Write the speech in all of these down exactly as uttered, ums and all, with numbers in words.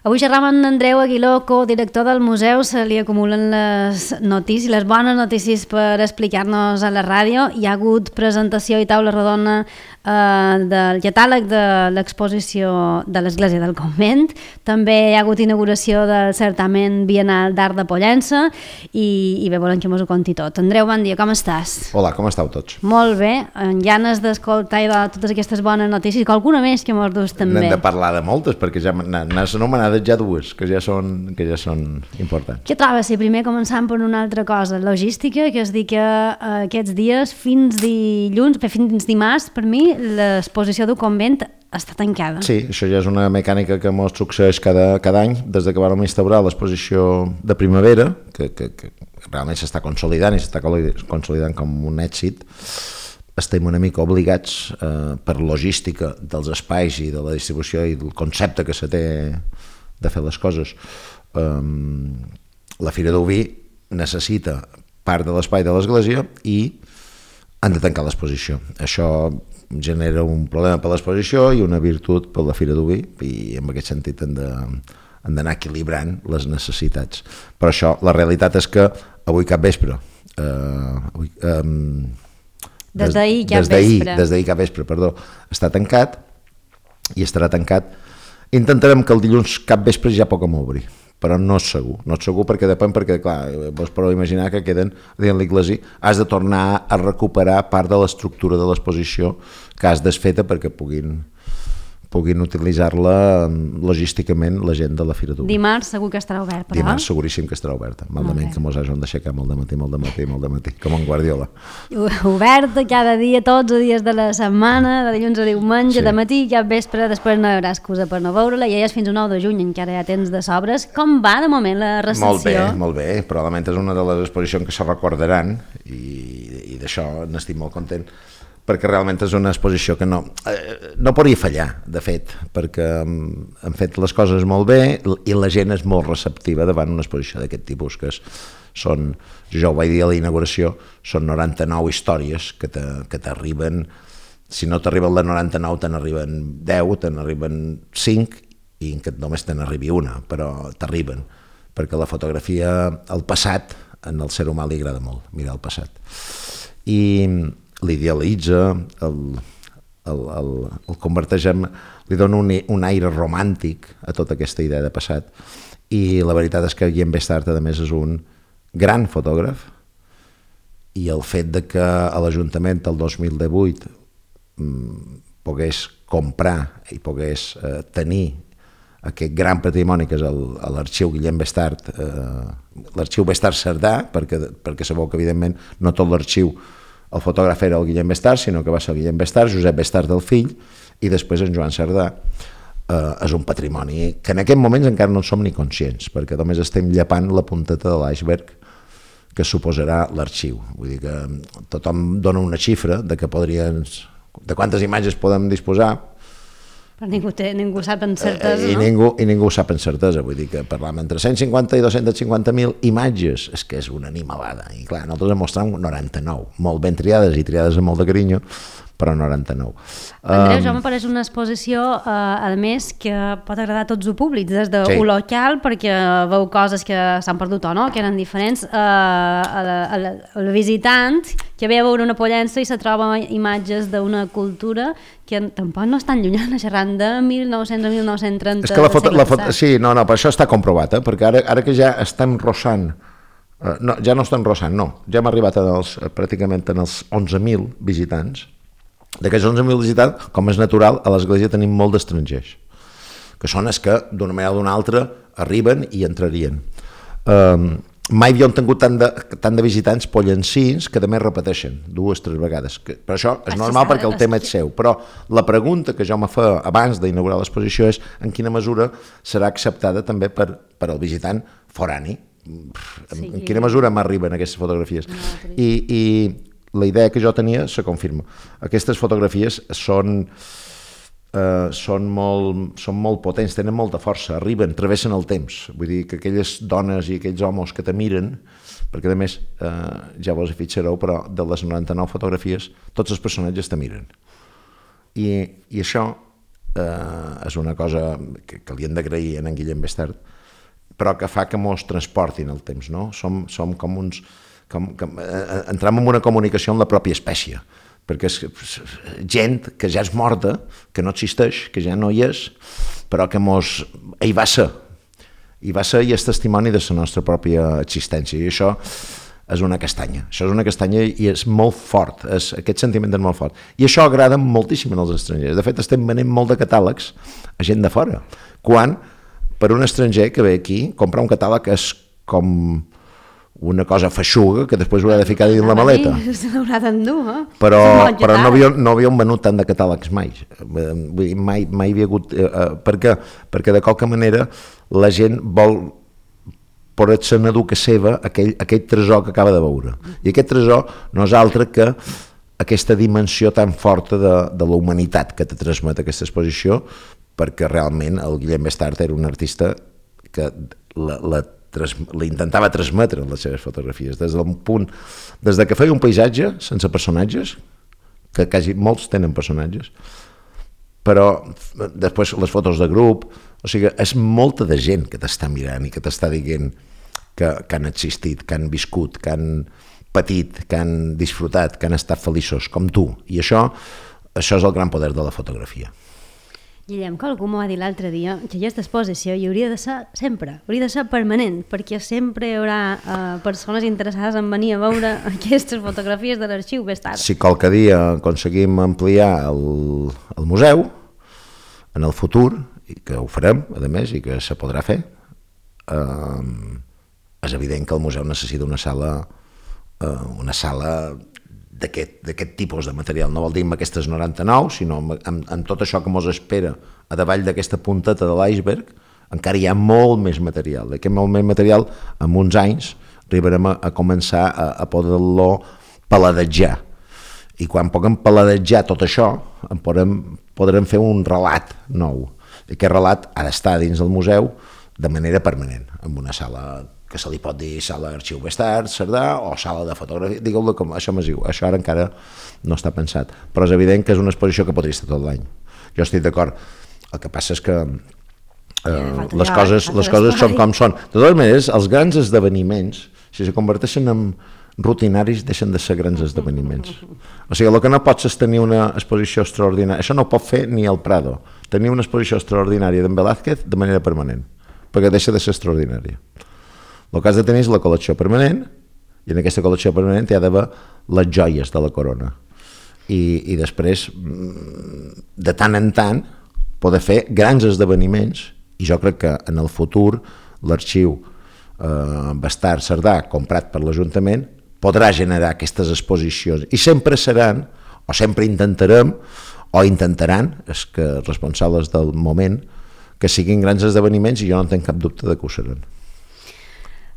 Avui xerram amb Andreu Aguiló, codirector del museu. Se li acumulen les notícies, les bones notícies per explicar-nos a la ràdio. Hi ha hagut presentació i taula rodona eh, del catàleg de l'exposició de l'Església del Convent. També hi ha hagut inauguració del certamen biennal d'art de Pollença i, i bé, volem que mos ho conti tot. Andreu, bon dia, com estàs? Hola, com estàu tots? Molt bé, amb ganes d'escoltar i de totes aquestes bones notícies, que alguna més que mos dus també. N'hem de parlar de moltes, perquè ja n'has anomenat ja dues, que ja són, que ja són importants. Què trobes, si primer començant per una altra cosa, logística, que és dir que eh, aquests dies, fins dilluns, fins dimarts, per mi, l'exposició del convent està tancada. Sí, això ja és una mecànica que ens succeeix cada, cada any, des de que vam instaurar l'exposició de primavera, que, que, que realment s'està consolidant i s'està consolidant com un èxit. Estem una mica obligats eh, per logística dels espais i de la distribució i del concepte que se té de fer les coses. Um, la Fira d'Oví necessita part de l'espai de l'església i han de tancar l'exposició. Això genera un problema per l'exposició i una virtut per la Fira d'Oví, i en aquest sentit han de, han d'anar equilibrant les necessitats. Però això, la realitat és que avui cap vespre, uh, avui, um, des d'ahir cap des vespre, des d'ahir cap vespre, perdó, està tancat i estarà tancat. Intentarem que el dilluns cap vespre ja puguem obrir, però no és segur, no és segur perquè depèn, perquè clar, vos podeu imaginar que queden dins l'iglesi, has de tornar a recuperar part de l'estructura de l'exposició que has desfeta perquè puguin puguin utilitzar-la logísticament la gent de la Fira d'Oví. Dimarts segur que estarà obert, però? Dimarts seguríssim que estarà oberta, malament que mos hagin d'aixecar molt de matí, molt de matí, molt de matí, com en Guardiola. Oberta cada dia, tots els dies de la setmana, de dilluns a diumenge, sí. De matí, cap vespre, després no hi haurà excusa per no veure-la, i ja és fins al nou de juny, encara hi ha temps de sobres. Com va de moment la recepció? Molt bé, molt bé, probablement és una de les exposicions que se recordaran, i, i d'això n'estic molt content, perquè realment és una exposició que no, eh, no podria fallar, de fet, perquè han fet les coses molt bé i la gent és molt receptiva davant una exposició d'aquest tipus, que és, són, jo ho vaig dir a la inauguració, són noranta-nou històries que t'arriben, si no t'arriben la noranta-nou, te n'arriben deu, te n'arriben cinc, i que només te n'arribi una, però t'arriben, perquè la fotografia, el passat, en el ser humà li agrada molt, mirar el passat. I l'idealitza, el, el, el, el converteix en, li dona un, un aire romàntic a tota aquesta idea de passat, i la veritat és que Guillem Bestart, a més, és un gran fotògraf, i el fet de que a l'Ajuntament el dos mil divuit mm, pogués comprar i pogués eh, tenir aquest gran patrimoni que és l'arxiu Guillem Bestart, eh, l'arxiu Bestart Cerdà, perquè, perquè sabeu que evidentment no tot l'arxiu el fotògraf era el Guillem Bestart, sinó que va ser el Guillem Bestart, Josep Bestart del fill, i després en Joan Cerdà. Eh, és un patrimoni que en aquests moments encara no en som ni conscients, perquè només estem llepant la punteta de l'iceberg que suposarà l'arxiu. Vull dir que tothom dona una xifra de que podrien, de quantes imatges podem disposar, però ningú, té, ningú sap en certesa, I no? Ningú, I ningú ho sap en certesa, vull dir que parlam entre cent cinquanta i dos-cents cinquanta mil imatges, és que és una animalada, i clar, nosaltres en mostrem noranta-nou, molt ben triades i triades amb molt de carinyo, però noranta-nou. Andreu, um, això me pareix una exposició, eh, a més, que pot agradar a tots els públics, des de sí. un local, perquè veu coses que s'han perdut o no, que eren diferents, eh, a la, a la, al visitant que ve a veure una Pollença i se troba imatges d'una cultura que tampoc no és tan llunyana, xerrant de mil nou-cents a mil nou-cents trenta. És que la foto, la foto, sí, no, no, per això està comprovat, eh? Perquè ara, ara que ja estem rossant, eh, no, ja no estem rossant, no, ja hem arribat als, pràcticament en els onze mil visitants. D'aquests onze mil visitants, com és natural, a l'església tenim molt d'estrangers, que són els que d'una manera o d'una altra arriben i entrarien. Um, mai havíem tingut tant de, tant de visitants pollencins que també repeteixen dues, tres vegades. Que, però això és normal perquè el tema és seu. Però la pregunta que jo me fa abans d'inaugurar l'exposició és en quina mesura serà acceptada també per, per al visitant forani. En, en quina mesura m'arriben aquestes fotografies. I, i la idea que jo tenia se confirma. Aquestes fotografies són, eh, són, molt, són molt potents, tenen molta força, arriben, travessen el temps. Vull dir que aquelles dones i aquells homes que te miren, perquè a més, eh, ja vos hi fixareu, però de les noranta-nou fotografies tots els personatges te miren. I, i això eh, és una cosa que, que li hem d'agrair a en Guillem Bestart, però que fa que mos transportin el temps, no? Som, som com uns... Com, com, eh, entrem en una comunicació amb la pròpia espècie, perquè és gent que ja és morta, que no existeix, que ja no hi és, però que mos... hi va ser, hi va ser i és testimoni de la nostra pròpia existència, i això és una castanya, això és una castanya i és molt fort, és, aquest sentiment és molt fort, i això agrada moltíssim als estrangers. De fet, estem venent molt de catàlegs a gent de fora, quan per un estranger que ve aquí, comprar un catàleg és com una cosa feixuga que després haurà de ficar dins la maleta. Se l'haurà d'endur, eh? Però, però no, havia, no havíem venut tant de catàlegs mai. Vull dir, mai, mai havia hagut... Eh, eh, per què? Perquè de qualque manera la gent vol poder-se enadur que seva aquell, aquell tresor que acaba de veure. I aquest tresor no és altre que aquesta dimensió tan forta de, de la humanitat que te transmet aquesta exposició, perquè realment el Guillem Bestart era un artista que la, la Tras, la intentava transmetre en les seves fotografies, des del punt, des de que feia un paisatge sense personatges, que quasi molts tenen personatges, però després les fotos de grup, o sigui, és molta de gent que t'està mirant i que t'està dient que, que han existit, que han viscut, que han patit, que han disfrutat, que han estat feliços, com tu, i això, això és el gran poder de la fotografia. Guillem, que algú m'ho va dir l'altre dia, que aquesta exposició hi hauria de ser sempre, hauria de ser permanent, perquè sempre hi haurà eh, persones interessades en venir a veure aquestes fotografies de l'arxiu Bestart. Si qualque dia aconseguim ampliar el, el museu, en el futur, i que ho farem, a més, i que se podrà fer, eh, és evident que el museu necessita una sala, eh, una sala d'aquest tipus de material, no vol dir amb aquestes noranta-nou, sinó amb, amb, amb tot això que mos espera a davall d'aquesta punteta de l'iceberg, encara hi ha molt més material. Aquest molt més material, en uns anys, arribarem a, a començar a, a poder-lo paladejar. I quan puguem paladejar tot això, en podrem, podrem fer un relat nou. I aquest relat ha d'estar dins del museu de manera permanent, en una sala que se li pot dir sala d'arxiu Bestart, Cerdà, o sala de fotografia, digueu-lo com, això m'és igual, això ara encara no està pensat, però és evident que és una exposició que podria estar tot l'any. Jo estic d'acord, el que passa és que eh, les coses, les coses són com són. De totes maneres, els grans esdeveniments, si se converteixen en rutinaris, deixen de ser grans esdeveniments. O sigui, el que no pots és tenir una exposició extraordinària, això no ho pot fer ni el Prado, tenir una exposició extraordinària d'en Velázquez de manera permanent, perquè deixa de ser extraordinària. El que has de tenir és la col·lecció permanent, i en aquesta col·lecció permanent hi ha d'haver les joies de la corona. I, i després, de tant en tant, poder fer grans esdeveniments, i jo crec que en el futur l'arxiu eh, Bestart Cerdà, comprat per l'Ajuntament, podrà generar aquestes exposicions, i sempre seran, o sempre intentarem, o intentaran, és que els responsables del moment, que siguin grans esdeveniments, i jo no tenc cap dubte de que ho seran.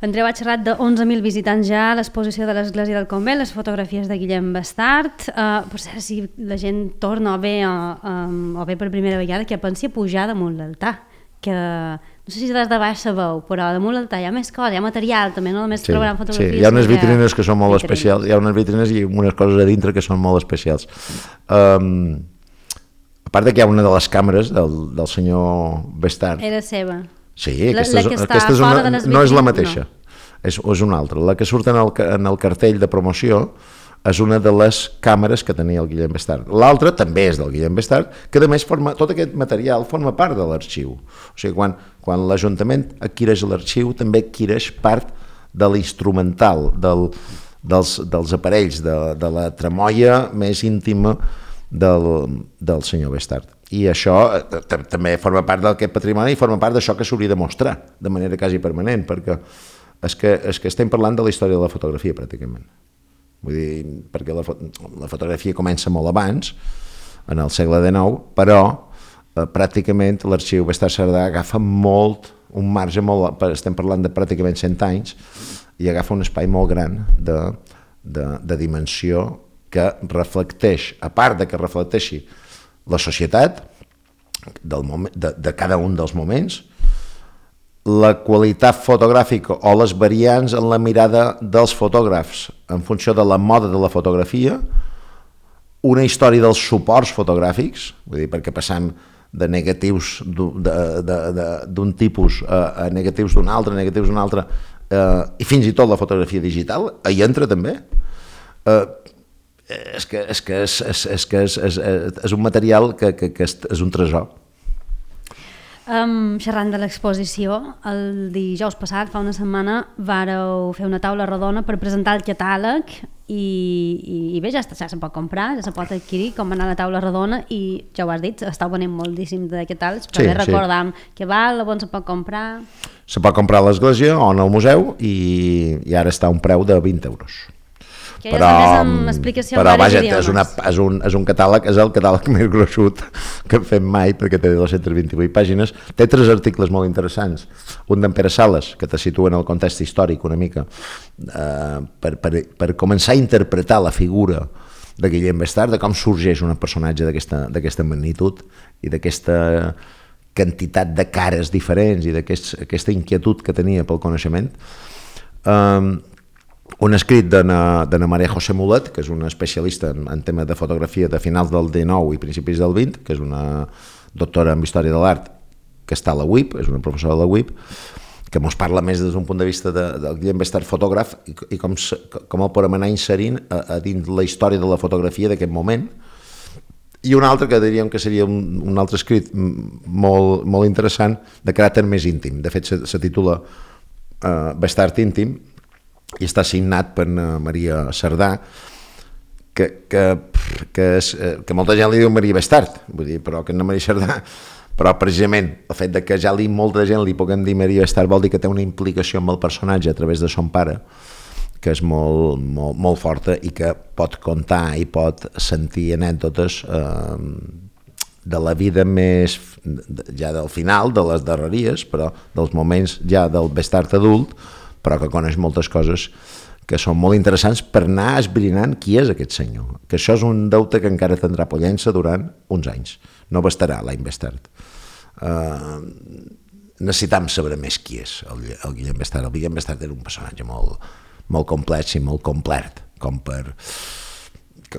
Andreu ha xerrat de onze mil visitants ja a l'exposició de l'Església del Convent, les fotografies de Guillem Bestart. Uh, per cert, si la gent torna o ve, uh, um, o ve per primera vegada, que pensi a pujar damunt l'altar, que no sé si des de baix sabeu, però damunt l'altar hi ha més coses, hi ha material també, no només sí, trobaran fotografies. Sí, hi ha unes vitrines que són molt vitrines. especials, hi ha unes vitrines i unes coses a dintre que són molt especials. Um, a part de que hi ha una de les càmeres del, del senyor Bestart. Era seva. Sí, aquesta, la, la és, aquesta és una, no és la mateixa, no. és, és una altra. La que surt en el, en el cartell de promoció és una de les càmeres que tenia el Guillem Bestart. L'altra també és del Guillem Bestart, que a més forma, tot aquest material forma part de l'arxiu. O sigui, quan, quan l'Ajuntament adquireix l'arxiu, també adquireix part de l'instrumental, del, dels, dels aparells, de, de la tramoia més íntima del, del senyor Bestart. I això també forma part d'aquest patrimoni i forma part d'això que s'hauria de mostrar de manera quasi permanent, perquè és que, és que estem parlant de la història de la fotografia pràcticament. Vull dir, perquè la, la fotografia comença molt abans, en el segle dinou, però eh, pràcticament l'arxiu Bestart Cerdà agafa molt, un marge molt, estem parlant de pràcticament cent anys, i agafa un espai molt gran de, de, de dimensió que reflecteix, a part de que reflecteixi la societat del moment, de, de cada un dels moments, la qualitat fotogràfica o les variants en la mirada dels fotògrafs en funció de la moda de la fotografia, una història dels suports fotogràfics, vull dir, perquè passam de negatius d'un tipus a, a negatius d'un altre, negatius d'un altre, eh, i fins i tot la fotografia digital, hi entra també. Eh, és que és, que és, és, és, que és, és, és un material que, que, que és, és un tresor. Um, xerrant de l'exposició, el dijous passat, fa una setmana, vàreu fer una taula rodona per presentar el catàleg i, i, i bé, ja, està, ja se pot comprar, ja se pot adquirir, com va anar la taula rodona i ja ho has dit, estàu venent moltíssim de catàlegs, però sí, bé recordam sí. què val, on se pot comprar... Se pot comprar a l'església o en el museu i, i ara està a un preu de vint euros. Que però, ja és amb explicació però vaja, idiomes. és, una, és, un, és un catàleg, és el catàleg més gruixut que hem fet mai, perquè té dos-centes vint-i-vuit pàgines, té tres articles molt interessants, un d'en Pere Sales, que te situa en el context històric una mica, eh, per, per, per començar a interpretar la figura de Guillem Bestard, de com sorgeix un personatge d'aquesta magnitud i d'aquesta quantitat de cares diferents i d'aquesta inquietud que tenia pel coneixement. Eh, un escrit d'Anna Maria José Mulet, que és una especialista en, en temes de fotografia de finals del dinou i principis del vint, que és una doctora en Història de l'Art que està a la U I P, és una professora de la U I P, que ens parla més des d'un punt de vista de, del Guillem Bestard fotògraf i, i com, com el podem anar inserint a, a dins la història de la fotografia d'aquest moment. I un altre que diríem que seria un, un altre escrit molt, molt interessant de caràcter més íntim. De fet, se, se titula uh, Bestard íntim, i està signat per Maria Cerdà, que, que, que, és, que molta gent li diu Maria Bestard, vull dir, però que no Maria Cerdà, però precisament el fet de que ja li molta gent li puguem dir Maria Bestard vol dir que té una implicació amb el personatge a través de son pare, que és molt, molt, molt forta i que pot contar i pot sentir anècdotes eh, de la vida més, ja del final, de les darreries, però dels moments ja del Bestard adult, però que coneix moltes coses que són molt interessants per anar esbrinant qui és aquest senyor, que això és un deute que encara tindrà Pollença durant uns anys, no bastarà l'any Bestard. Uh, necessitam saber més qui és el, el Guillem Bestard. El Guillem Bestard era un personatge molt, molt complex i molt complet, com per,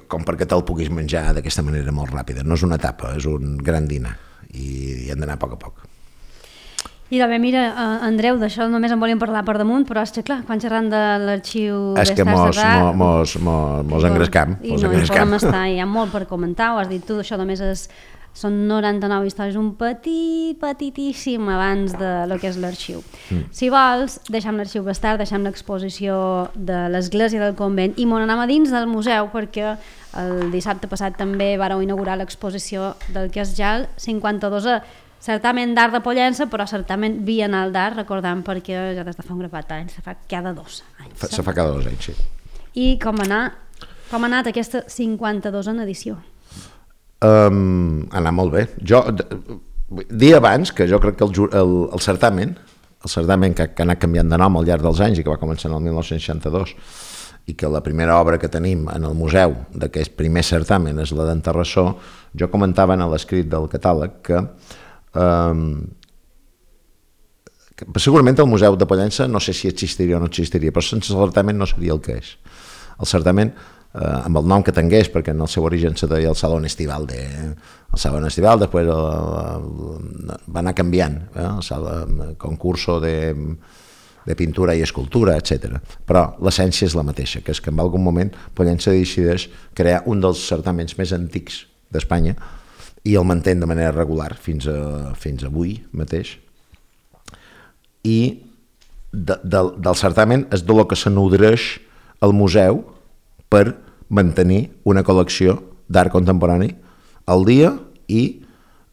com perquè te'l puguis menjar d'aquesta manera molt ràpida. No és una etapa, és un gran dinar i, i hem d'anar a poc a poc. I bé, mira, uh, Andreu, d'això només en volíem parlar per damunt, però és que clar, quan xerrant de l'arxiu és que mos, mos, mos, mos engrescam. I no hi podem estar, hi ha molt per comentar, ho has dit tu, això només és, són noranta-nou històries, un petit, petitíssim abans de lo que és l'arxiu. Mm. Si vols, deixem l'arxiu Bestard, deixem l'exposició de l'església del convent i m'on anem a dins del museu, perquè el dissabte passat també vàreu inaugurar l'exposició del que és ja el cinquanta-dosè certament d'art de Pollença, però certament bienal d'art, recordant perquè ja des de fa un grapat d'anys, se fa cada dos anys. Se fa cada dos anys, sí. I com ha anat, com ha anat aquesta cinquanta-dosena edició? Um, ha anat molt bé. Jo, dia abans, que jo crec que el, el, el certamen, el certamen que, que ha anat canviant de nom al llarg dels anys i que va començar en el mil nou-cents seixanta-dos, i que la primera obra que tenim en el museu d'aquest primer certamen és la d'en Terrassó, jo comentava en l'escrit del catàleg que Um, segurament el Museu de Pollença no sé si existiria o no existiria, però sense el certamen no seria el que és. El certamen, eh, amb el nom que tingués, perquè en el seu origen se deia el Salón Estival de, el Salón Estival, després el, el, va anar canviant, eh, el, salón, el concurso de, de pintura i escultura, etcètera. Però l'essència és la mateixa, que és que en algun moment Pollença decideix crear un dels certaments més antics d'Espanya i el mantén de manera regular fins, a, fins avui mateix. I de, de, del certamen és de lo que se nodreix el museu per mantenir una col·lecció d'art contemporani al dia i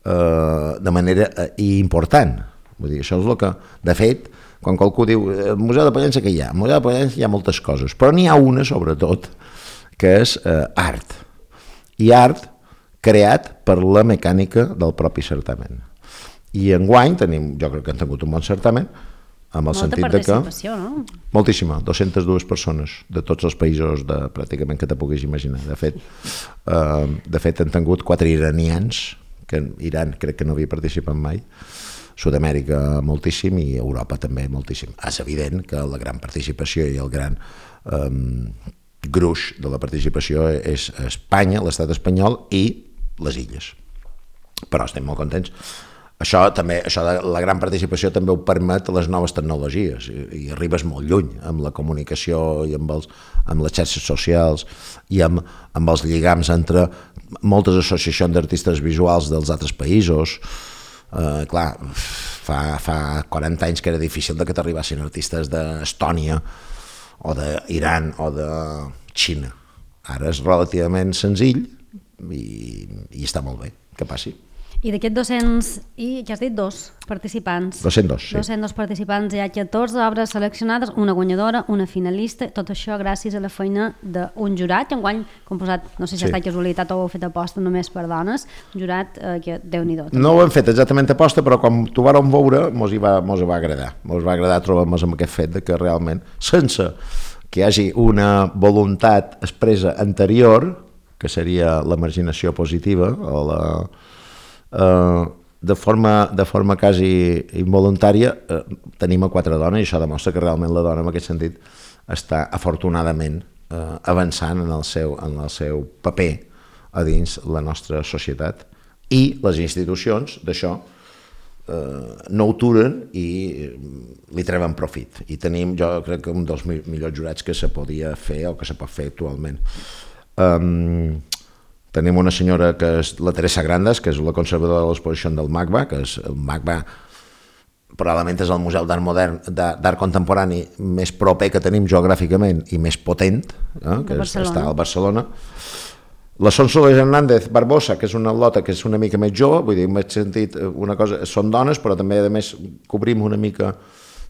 eh, de manera eh, important. Vull dir, això és el que, de fet, quan qualcú diu el Museu de Pollença que hi ha? Al Museu de Pollença hi ha moltes coses, però n'hi ha una, sobretot, que és eh, art. I art creat per la mecànica del propi certamen. I enguany tenim, jo crec que hem tingut un bon certamen, amb el molta sentit de que... no? Moltíssima, dues-centes dues persones de tots els països de, pràcticament que te puguis imaginar. De fet, eh, de fet hem tingut quatre iranians, que Iran crec que no havia participat mai, Sud-amèrica moltíssim i Europa també moltíssim. És evident que la gran participació i el gran eh, gruix de la participació és Espanya, l'estat espanyol i les illes. però estem molt contents. Això també, això de la gran participació també ho permet les noves tecnologies i, i arribes molt lluny amb la comunicació i amb, els, amb les xarxes socials i amb, amb els lligams entre moltes associacions d'artistes visuals dels altres països. Eh, clar, fa, fa quaranta anys que era difícil de que t'arribassin artistes d'Estònia o d'Iran o de Xina. Ara és relativament senzill i, i està molt bé que passi. I d'aquests dos-cents, i què has dit? Dos participants. dos-cents dos, sí. dos-cents dos participants, hi ha catorze obres seleccionades, una guanyadora, una finalista, tot això gràcies a la feina d'un jurat, que enguany composat, no sé si sí. ha estat casualitat o ho heu fet aposta només per dones, un jurat eh, que Déu-n'hi-do. No ho hem fet exactament aposta, però quan t'ho vàrem veure mos hi va, mos va agradar. Mos va agradar trobar-nos amb aquest fet de que realment, sense que hi hagi una voluntat expressa anterior, que seria la marginació positiva o la... Uh, de forma, de forma quasi involuntària uh, tenim a quatre dones i això demostra que realment la dona en aquest sentit està afortunadament uh, avançant en el, seu, en el seu paper a dins la nostra societat i les institucions d'això uh, no ho turen i li treuen profit i tenim, jo crec que un dels millors jurats que se podia fer o que se pot fer actualment. um, Tenim una senyora que és la Teresa Grandes, que és la conservadora de l'exposició del MACBA, que és el MACBA probablement és el museu d'art modern, d'art contemporani més proper que tenim geogràficament i més potent, eh, que és, està al Barcelona. La Sonsoles Hernández Barbosa, que és una lota que és una mica més jove, vull dir, m'he sentit una cosa, són dones, però també a més cobrim una mica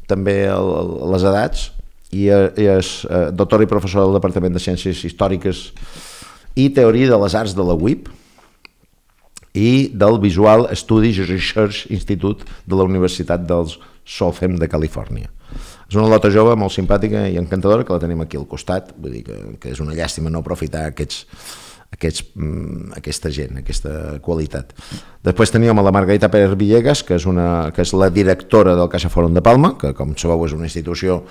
també el, les edats, i, i és doctora i professora del Departament de Ciències Històriques i Teoria de les Arts de la U I P i del Visual Studies Research Institute de la Universitat dels Southern de Califòrnia. És una lota jove molt simpàtica i encantadora que la tenim aquí al costat, vull dir que, que és una llàstima no aprofitar aquests, aquests, aquesta gent, aquesta qualitat. Després teníem a la Margarita Pérez Villegas, que és, una, que és la directora del Caixa Fòrum de Palma, que com sabeu és una institució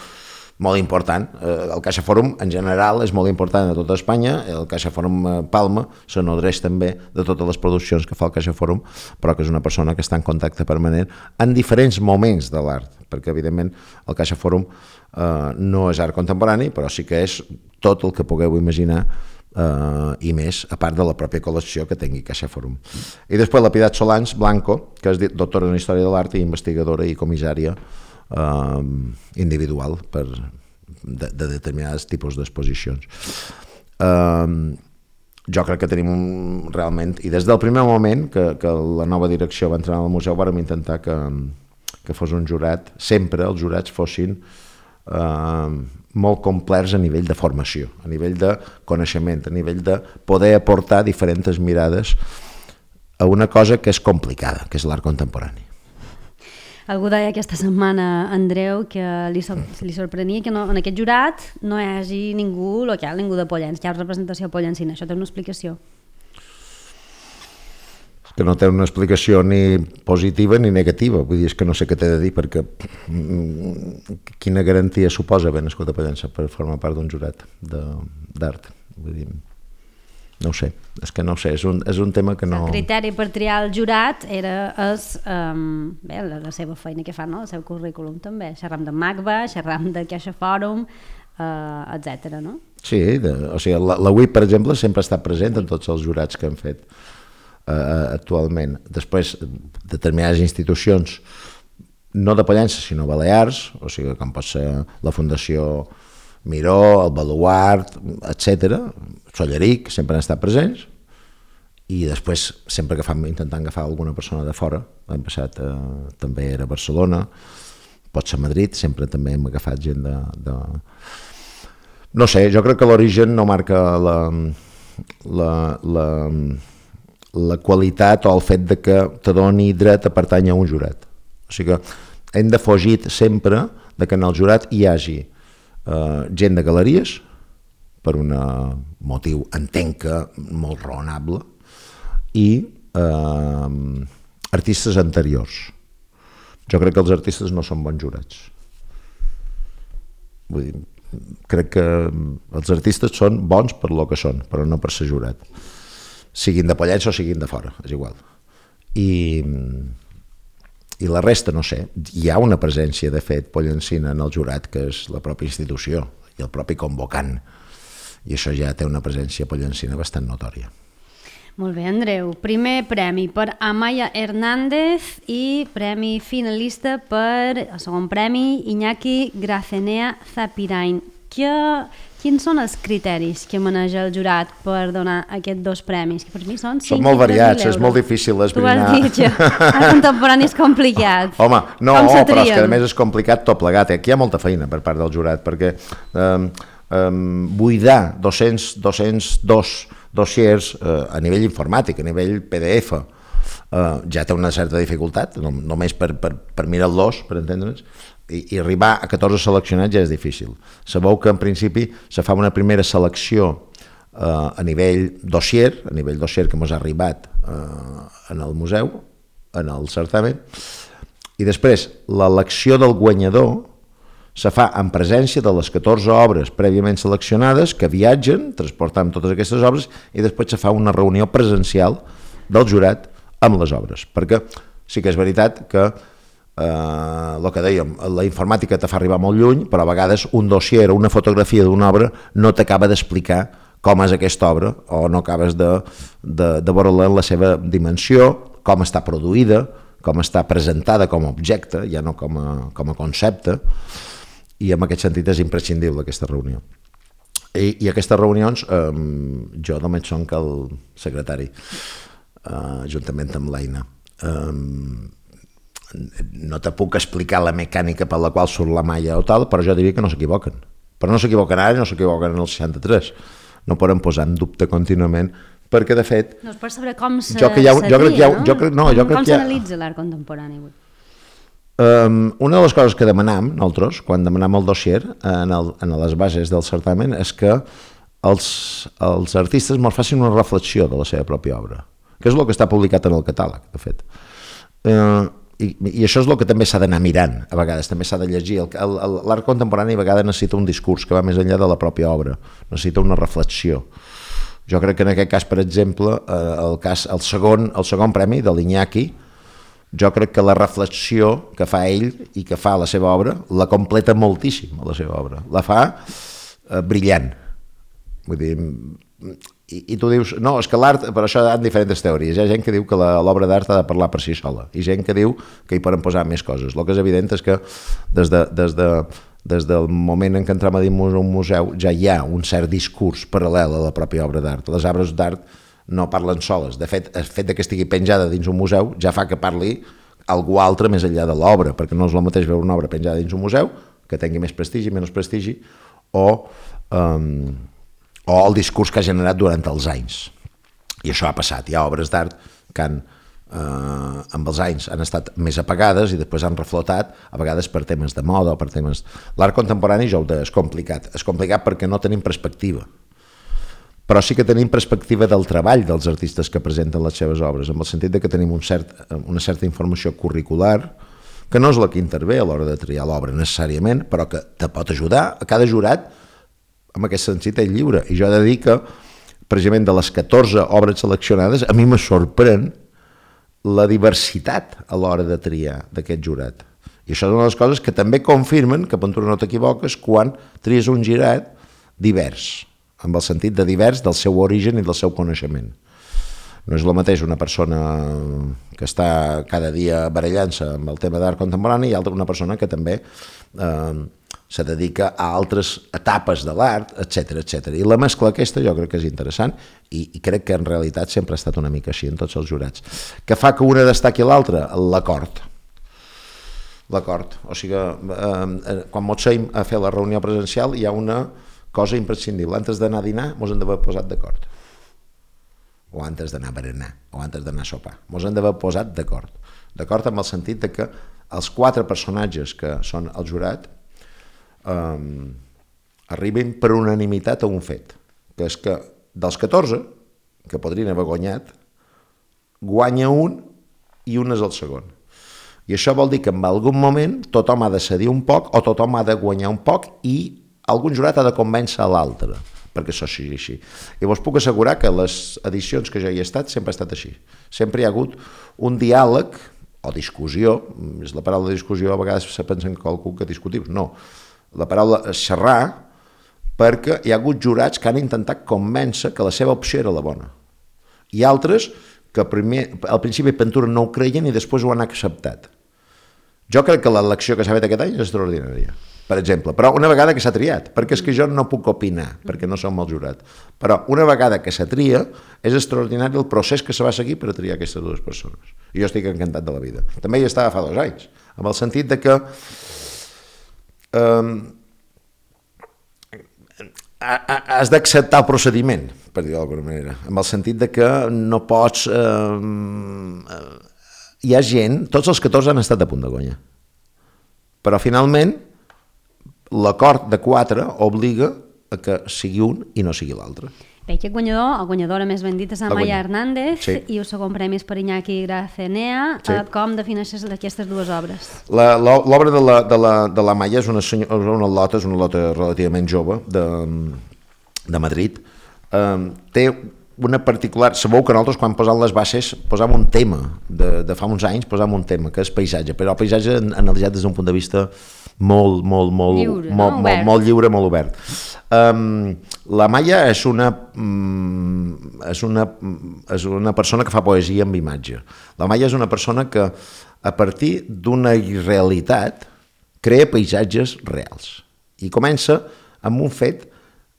molt important. El Caixa Fòrum en general és molt important a tota Espanya, el Caixa Fòrum Palma se nodreix també de totes les produccions que fa el Caixa Fòrum, però que és una persona que està en contacte permanent en diferents moments de l'art, perquè evidentment el Caixa Fòrum eh, no és art contemporani, però sí que és tot el que pugueu imaginar eh, i més, a part de la pròpia col·lecció que tingui Caixa Fòrum. I després la Piedad Solans Blanco, que és doctora en Història de l'Art i investigadora i comissària Uh, individual per, de, de determinats tipus d'exposicions. Uh, jo crec que tenim un, realment, i des del primer moment que, que la nova direcció va entrar al museu vàrem intentar que, que fos un jurat, sempre els jurats fossin uh, molt complets a nivell de formació, a nivell de coneixement, a nivell de poder aportar diferents mirades a una cosa que és complicada, que és l'art contemporani. Algú deia aquesta setmana, Andreu, que li, sor li sorprenia que no, en aquest jurat no hi hagi ningú local, ningú de Pollença, hi ha representació pollencina. Això té una explicació? Que no té una explicació ni positiva ni negativa, vull dir, és que no sé què t'he de dir, perquè quina garantia suposa haver nascut a Pollença per formar part d'un jurat d'art? Vull dir, no ho sé, és que no ho sé, és un, és un tema que no... El criteri per triar el jurat era és, um, bé, la, la seva feina que fa, no? El seu currículum també, xerram de MACBA, xerram de Caixa Fòrum, uh, etcètera, no? Sí, de, o sigui, la, la U I P, per exemple, sempre ha estat present en tots els jurats que han fet uh, actualment. Després, determinades institucions, no de Pollença, sinó Balears, o sigui, com pot ser la Fundació Miró, el Baluart, etcètera, Solleric, sempre han estat presents, i després sempre que fam, intentant agafar alguna persona de fora, l'any passat eh, també era Barcelona, pot ser Madrid, sempre també hem agafat gent de... de... No sé, jo crec que l'origen no marca la, la, la, la qualitat o el fet de que te doni dret a pertànyer a un jurat. O sigui que hem de fugir sempre de que en el jurat hi hagi Uh, gent de galeries, per un motiu, entenc que molt raonable, i uh, artistes anteriors. Jo crec que els artistes no són bons jurats. Vull dir, crec que els artistes són bons per lo que són, però no per ser jurat. Siguin de Pollença o siguin de fora, és igual. i, i la resta no sé. Hi ha una presència, de fet, pollencina en el jurat, que és la pròpia institució i el propi convocant, i això ja té una presència pollencina bastant notòria. Molt bé, Andreu. Primer premi per Amaya Hernández i premi finalista per, el segon premi, Iñaki Gracenea Zapirain. Que, quins són els criteris que maneja el jurat per donar aquests dos premis? Que per mi són cinc Són molt variats, és molt difícil esbrinar. Tu vas dir que el contemporani és complicat. Home, no, però és que a més és complicat tot plegat. Aquí hi ha molta feina per part del jurat, perquè eh, eh, buidar dos-cents, dos-cents dos dossiers eh, a nivell informàtic, a nivell P D F, eh, ja té una certa dificultat, no, només per, per, per mirar-los, per entendre'ns, i, i arribar a catorze seleccionats ja és difícil. Sabeu que en principi se fa una primera selecció eh, a nivell dossier, a nivell dossier que ens ha arribat eh, en el museu, en el certamen, i després l'elecció del guanyador se fa en presència de les catorze obres prèviament seleccionades que viatgen, transportant totes aquestes obres, i després se fa una reunió presencial del jurat amb les obres. Perquè sí que és veritat que, eh, el que dèiem, la informàtica te fa arribar molt lluny, però a vegades un dossier o una fotografia d'una obra no t'acaba d'explicar com és aquesta obra, o no acabes de, de, de veure-la en la seva dimensió, com està produïda, com està presentada com a objecte, ja no com a, com a concepte, i en aquest sentit és imprescindible aquesta reunió. I, i aquestes reunions, eh, jo només som que el secretari, eh, juntament amb l'Aina. Eh, no te puc explicar la mecànica per la qual surt la malla o tal, però jo diria que no s'equivoquen. Però no s'equivoquen ara, no s'equivoquen en el seixanta-tres. No poden posar en dubte contínuament, perquè de fet... No és per saber com se jo que ha, jo crec que ha, no? Jo crec, no, jo com crec com que s'analitza l'art contemporani avui? Um, una de les coses que demanam, nosaltres, quan demanam el dossier en, el, en les bases del certamen, és que els, els artistes ens facin una reflexió de la seva pròpia obra, que és el que està publicat en el catàleg, de fet. Uh, i, I això és el que també s'ha d'anar mirant, a vegades, també s'ha de llegir. L'art contemporani a vegades necessita un discurs que va més enllà de la pròpia obra, necessita una reflexió. Jo crec que en aquest cas, per exemple, el, cas, el, segon, el segon premi de l'Iñaki, jo crec que la reflexió que fa ell i que fa la seva obra la completa moltíssim, la seva obra. La fa eh, brillant. Vull dir, i, i tu dius, no, és que l'art, per això hi ha diferents teories. Hi ha gent que diu que l'obra d'art ha de parlar per si sola, i gent que diu que hi poden posar més coses. El que és evident és que des, de, des, de, des del moment en què entrem a dins un museu ja hi ha un cert discurs paral·lel a la pròpia obra d'art. Les obres d'art no parlen soles. De fet, el fet que estigui penjada dins un museu ja fa que parli algú altre més enllà de l'obra, perquè no és el mateix veure una obra penjada dins un museu, que tingui més prestigi, menys prestigi, o, um, o el discurs que ha generat durant els anys. I això ha passat. Hi ha obres d'art que han, eh, amb els anys han estat més apagades i després han reflotat, a vegades per temes de moda o per temes... L'art contemporani ja ho és complicat. És complicat perquè no tenim perspectiva. Però sí que tenim perspectiva del treball dels artistes que presenten les seves obres, en el sentit de que tenim un cert, una certa informació curricular, que no és la que intervé a l'hora de triar l'obra necessàriament, però que te pot ajudar. A cada jurat, en aquest sentit, és lliure. I jo he de dir que, precisament de les catorze obres seleccionades, a mi me sorprèn la diversitat a l'hora de triar d'aquest jurat. I això és una de les coses que també confirmen que, per tu no t'equivoques, quan tries un jurat divers, amb el sentit de divers del seu origen i del seu coneixement. No és el mateix una persona que està cada dia barallant-se amb el tema d'art contemporani i altra una persona que també eh, se dedica a altres etapes de l'art, etcètera, etcètera. I la mescla aquesta jo crec que és interessant i, i crec que en realitat sempre ha estat una mica així en tots els jurats. Què fa que una destaqui l'altra? L'acord. L'acord. O sigui, eh, quan mos seim a fer la reunió presencial hi ha una cosa imprescindible. Antes d'anar a dinar, mos hem d'haver posat d'acord. O antes d'anar a berenar, o antes d'anar a sopar. Mos hem d'haver posat d'acord. D'acord amb el sentit de que els quatre personatges que són el jurat eh, arribin per unanimitat a un fet, que és que dels catorze, que podrien haver guanyat, guanya un i un és el segon. I això vol dir que en algun moment tothom ha de cedir un poc o tothom ha de guanyar un poc i algun jurat ha de convèncer a l'altre perquè això sigui així. I vos puc assegurar que les edicions que jo hi he estat sempre ha estat així. Sempre hi ha hagut un diàleg o discussió, és la paraula discussió, a vegades se pensen que qualcú que discutiu, no. La paraula és xerrar, perquè hi ha hagut jurats que han intentat convèncer que la seva opció era la bona. I altres que primer, al principi Ventura no ho creien i després ho han acceptat. Jo crec que l'elecció que s'ha fet aquest any és extraordinària, per exemple, però una vegada que s'ha triat, perquè és que jo no puc opinar, perquè no som el jurat, però una vegada que s'ha tria, és extraordinari el procés que se va seguir per a triar aquestes dues persones. I jo estic encantat de la vida. També hi estava fa dos anys, amb el sentit de que eh, has d'acceptar el procediment, per dir-ho d'alguna manera, amb el sentit de que no pots... Eh, hi ha gent, tots els catorze han estat a punt de guanyar, però finalment l'acord de quatre obliga a que sigui un i no sigui l'altre. Bé, aquest guanyador, el guanyadora més ben dit és Amaya Hernández, sí. I el segon premi és per Iñaki Gracenea. Sí. Com defineixes aquestes dues obres? L'obra de la, de la, de la Amaya és una, una lota, és una lota relativament jove de, de Madrid. Um, té una particular... Sabeu que nosaltres quan posam les bases posam un tema, de, de fa uns anys posam un tema, que és paisatge, però el paisatge analitzat des d'un punt de vista molt, molt, molt, lliure, molt, no? molt, molt lliure, molt obert. Um, la Maya és una, um, és, una, és una persona que fa poesia amb imatge. La Maya és una persona que a partir d'una irrealitat crea paisatges reals i comença amb un fet.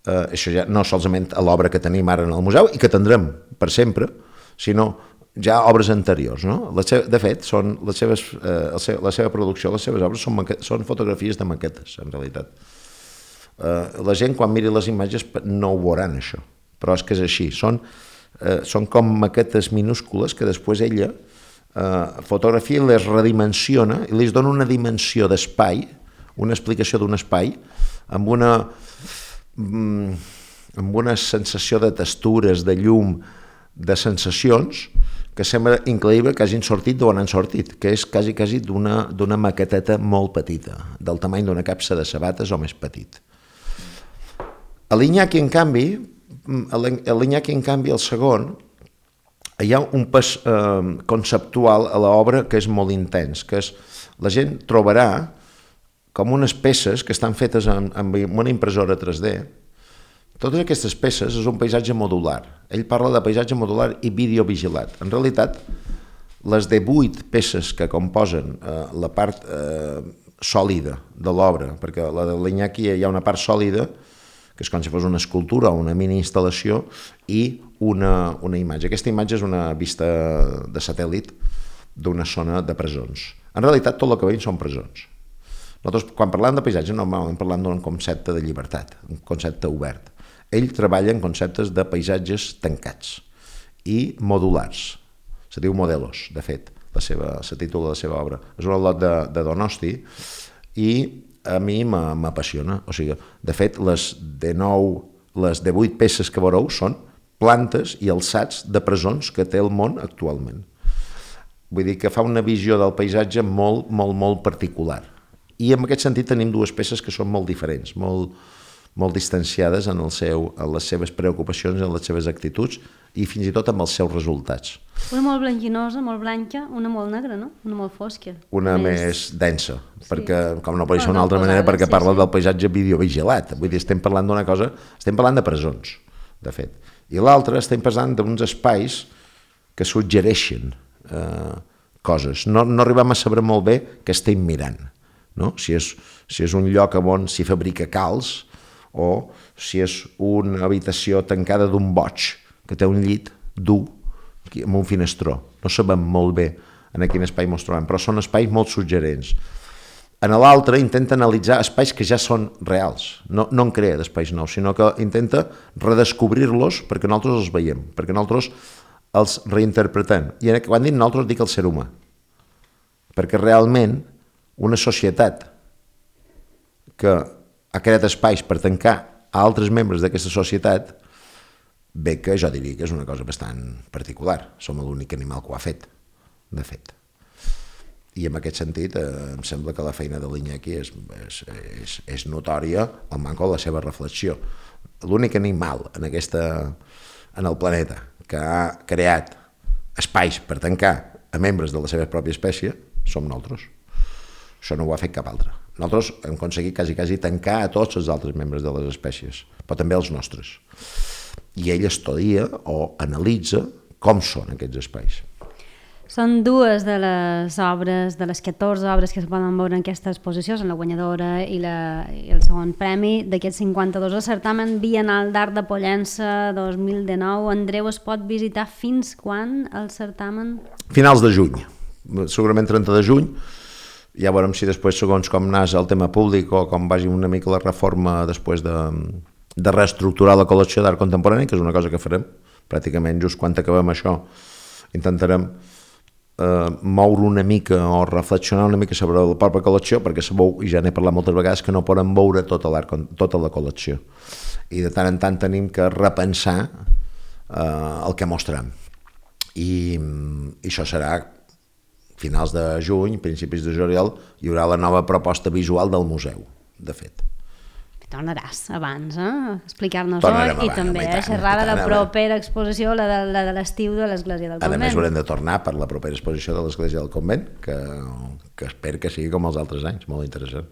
Uh, això ja no solament a l'obra que tenim ara en el museu i que tindrem per sempre, sinó ja obres anteriors. No? La seva, de fet, són les seves, uh, la, seva, la seva producció, les seves obres són, són fotografies de maquetes, en realitat. Uh, la gent, quan miri les imatges, no ho veuran, això, però és que és així. Són, uh, són com maquetes minúscules que després ella uh, fotografia i les redimensiona i li dona una dimensió d'espai, una explicació d'un espai, amb una... amb una sensació de textures, de llum, de sensacions, que sembla increïble que hagin sortit d'on han sortit, que és quasi, quasi d'una, d'una maqueteta molt petita, del tamany d'una capsa de sabates o més petit. A l'Iñaki, en canvi, a l'Iñaki, en canvi, el segon, hi ha un pas eh, conceptual a l'obra que és molt intens, que és, la gent trobarà com unes peces que estan fetes amb, amb una impressora tres D. Totes aquestes peces és un paisatge modular. Ell parla de paisatge modular i videovigilat. En realitat, les divuit peces que composen eh, la part eh, sòlida de l'obra, perquè la de l'Iñaki hi ha una part sòlida, que és com si fos una escultura o una mini-instal·lació, i una, una imatge. Aquesta imatge és una vista de satèl·lit d'una zona de presons. En realitat, tot el que veiem són presons. Nosaltres, quan parlem de paisatge, normalment parlem d'un concepte de llibertat, un concepte obert. Ell treballa en conceptes de paisatges tancats i modulars. Se diu Modelos, de fet, la seva, se titula la seva obra. És un lot de, de Donosti i a mi m'apassiona. O sigui, de fet, les de nou, les de vuit peces que veureu són plantes i alçats de presons que té el món actualment. Vull dir que fa una visió del paisatge molt, molt, molt particular. I en aquest sentit tenim dues peces que són molt diferents, molt, molt distanciades en, el seu, en les seves preocupacions, en les seves actituds i fins i tot amb els seus resultats. Una molt blanquinosa, molt blanca, una molt negra, no? Una molt fosca. Una més, més densa, sí. Perquè, com no pot ser d'una altra manera, perquè sí, parla sí. Del paisatge videovigilat. Vull dir, estem parlant d'una cosa, estem parlant de presons, de fet. I l'altra estem parlant d'uns espais que suggereixen eh, coses. No, no arribem a saber molt bé què estem mirant. No? Si, és, si és un lloc on s'hi fabrica calç o si és una habitació tancada d'un boig que té un llit dur amb un finestró. No sabem molt bé en quin espai ens trobem, però són espais molt suggerents. En l'altre intenta analitzar espais que ja són reals, no, no en crea d'espais nous, sinó que intenta redescobrir-los perquè nosaltres els veiem, perquè nosaltres els reinterpretem. I quan dic nosaltres dic el ser humà, perquè realment una societat que ha creat espais per tancar a altres membres d'aquesta societat, bé que jo diria que és una cosa bastant particular. Som l'únic animal que ho ha fet, de fet. I en aquest sentit eh, em sembla que la feina de l'Iñaki és, és, és, és notòria al manco de la seva reflexió. l'únic animal en, aquesta, en el planeta que ha creat espais per tancar a membres de la seva pròpia espècie som nosaltres. Això no ho ha fet cap altre. Nosaltres hem aconseguit quasi, quasi tancar a tots els altres membres de les espècies, però també els nostres. I ell estudia o analitza com són aquests espais. Són dues de les obres, de les catorze obres que es poden veure en aquesta exposició, són la guanyadora i, la, i el segon premi d'aquest cinquanta-dos el certamen Bienal d'Art de Pollença dos mil dinou. Andreu, es pot visitar fins quan el certamen? Finals de juny, segurament trenta de juny. Ja veurem si després, segons com anàs el tema públic o com vagi una mica la reforma després de, de reestructurar la col·lecció d'art contemporani, que és una cosa que farem pràcticament just quan acabem això, intentarem eh, moure una mica o reflexionar una mica sobre la pròpia col·lecció, perquè sabeu, i ja n'he parlat moltes vegades, que no podem veure tota, l'art, tota la col·lecció. I de tant en tant tenim que repensar eh, el que mostrem. I, i això serà finals de juny, principis de juliol, hi haurà la nova proposta visual del museu, de fet. Tornaràs abans, eh? a explicar-nos-ho i també a xerrar de la propera exposició, la de, la de l'estiu de l'Església del Convent. A més, haurem de tornar per la propera exposició de l'Església del Convent, que, que espero que sigui com els altres anys, molt interessant.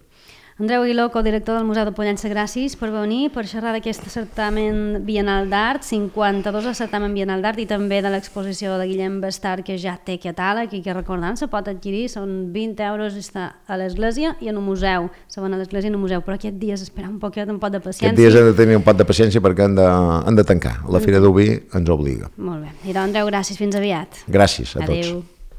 Andreu Aguiló, codirector del Museu de Pollença, gràcies per venir, per xerrar d'aquest certamen Bienal d'Art, cinquanta-dos el certamen Bienal d'Art, i també de l'exposició de Guillem Bastard, que ja té catàleg i que, recordant, se pot adquirir, són vint euros, està a l'església i en un museu, se van a l'església i en un museu, però aquest dia és esperar un poquet, un pot de paciència. Aquest dia hem de tenir un pot de paciència perquè han de, han de tancar, la Fira d'Oví ens obliga. Molt bé, i doncs Andreu, gràcies, fins aviat. Gràcies a tots. Adéu.